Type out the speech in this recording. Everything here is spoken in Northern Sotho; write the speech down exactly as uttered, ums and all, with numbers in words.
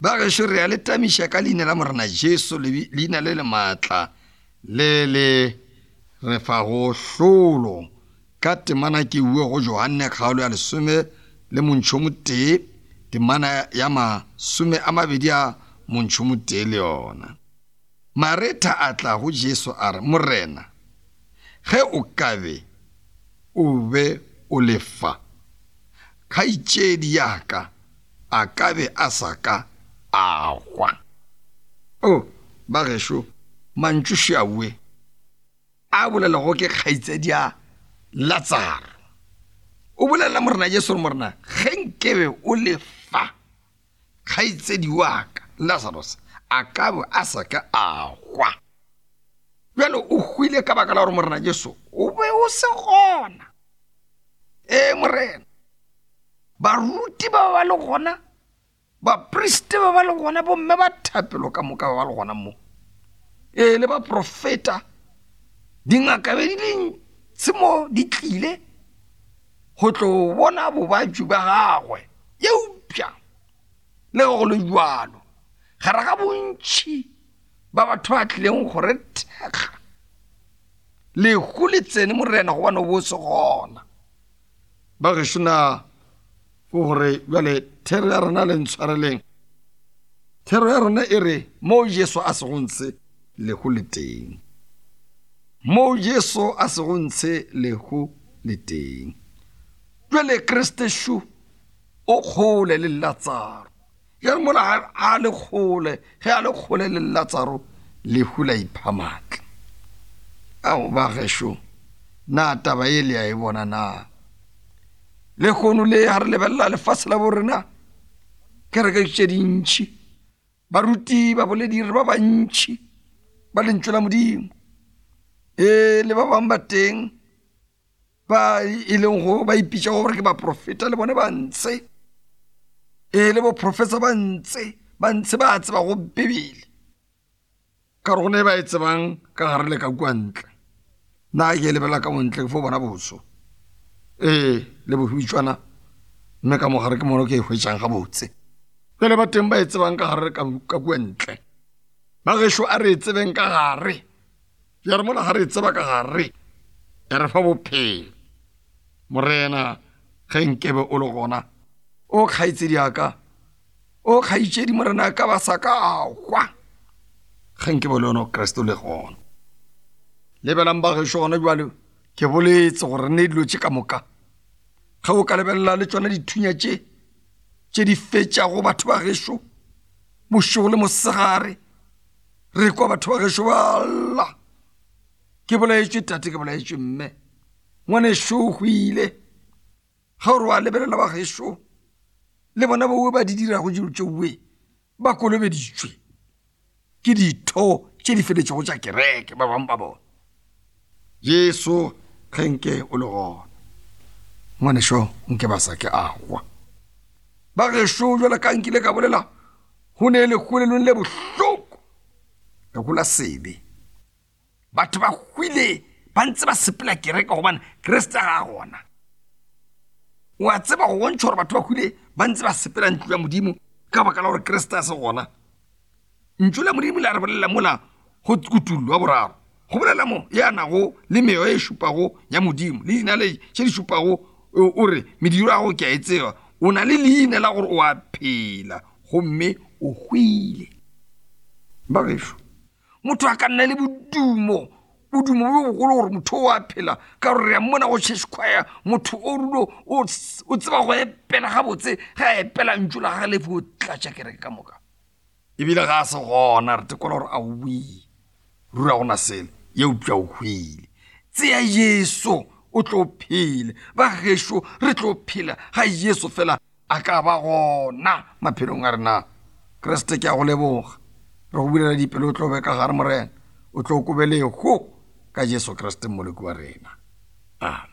Ba gešo re a le tamiša ka leina la Morena Jesu, leina le le maatla le le re fago hlolo. Ka temana ke bue go Johanne kgaolo ya lesome le montšho motee, temana ya masome a mabedi a montšho motee le yona. Maretha a tla go Jesu a re, Morena, ge o ka be o be o le fa, kgaetšedi ya ka a ka be a sa ka a hwa. O, ba gešo, mantšu šawe a bolelago ke kgaetšedi ya Latsaro. O bolela Morena Jesu gore, Morena, ge nkebe o le fa, kgaetšedi wa ka Lazarus a ka be a sa ka a hwa. Bjale o hwile ka baka la gore Morena Jesu o be o se gona. Ee Morena, baruti ba ba le gona, bapriste ba ba le gona, bomme ba thapelo ka moka ba ba le gona mo. Ee, le baprofeta, dingaka be di le ntši mo di tlile go tlo bona bobajwi ba gagwe. Eupša le ge go le bjalo, gare ga bontši ba batho ba tlileng go re thekga, lehu le tsene Morena gobane o bo se gona. Ba gešo na ke gore bjale thero ya rena le ntshwareleng. Thero ya rena e re mo Jesu a sego ntshe lehu le teng. Mo Jesu a sego ntshe lehu le teng. Bjale Kriste šu o kgole le Latsaro. Jale mola a le kgole, ge a le kgole le Latsaro, lehu la ipha maatla. Ao ba gešo, na taba ye le a e bona na? Lehono le ga re lebelela lefase la borena, kereke tše dintši, baruti, baboledi ba bantši ba lentšu la Modimo. Ee, le ba bangwe ba teng ba e leng go ba ipitša gore ke baprofeta, le bone ba ntshe. Ee, le boprofesa ba ntshe, ba ntshe ba tseba go Bibele. Ka gore go ne ba e tsebang ka gare le ka kua ntle. Nna ke lebelela ka montle ke fo bona boso. Ee, le bohwitšwana, mme ka mogare ke mono ke e hwetšang gabotse. Bjale ba teng ba e tsebang ka gare ka, ka kua ntle. Ba gešo a re e tsebeng ka gare. Ya re mola ga re e tseba ka gare, ya re fa bophelo. Morena, ge nkebe o le gona, o kgaetšedi ya ka, o kgaetšedi Morena ka ba sa ka a hwa. Ge nkebe le yona Kriste o le gona. Lebelang ba gešo gona bjale, ke boletse gore ne dilo tše ka moka. Ge o ka lebelela le tšona dithunya tše, tše di fetšago batho ba gešo, bošego le mosegare, re kwa batho ba gešo ba lla. Ke bolaetšwe tate, ke bolaetšwe mme, ngwanešo o hwile. Ge o re wa lebelela ba gešo, le bona bowe ba di dirago dilo tšeoe, ba kolobeditšwe ke ditho tše di feletšego tša kereke, ba bangwe ba bona. Jesu, ge nke o le gona, ngwanešo nke ba sa ke a hwa. Ba gešo jwale ka nkile ka bolela, go ne lehu le lengwe le bohloko, lehu la sebe. Batho ba hwile ba ntse ba sepela kereke gobane Kriste ga a gona. O a tseba go bontšha gore batho ba hwile ba ntse ba sepela ntlo ya Modimo ka baka la gore Kriste a se gona. Ntšu la Modimo le a re bolela mola go Kutullo wa boraro. Go bolela mo ya nago le meoya e šupago ya Modimo le dinaledi tše di šupago, o re mediro ya gago ke a e tseba. O na le leina la gore o a phela gomme o hwile. Ba gešo, motho a ka nna le bodumo, bodumo bo bogolo gore motho o a phela, ka gore re a mmona go church choir, motho o rulo o, o tseba go epela gabotse, ge a epela ntšu la gagwe le fo tlatša kereke ka moka. Ebile ga a se gona, re tekola gore a o buile, ruri a gona selo, eupša o hwile. Tsea Jesu, o tlo phela. Ba gešo, re tlo phela ga Jesu fela a ka ba gona maphelong a rena. Kriste, ke a go leboga. Re go bulela dipelo, o tlo be ka gare Morena, o tlo kobe lehu ka Jesu Kriste Mmoloki wa rena. Amen.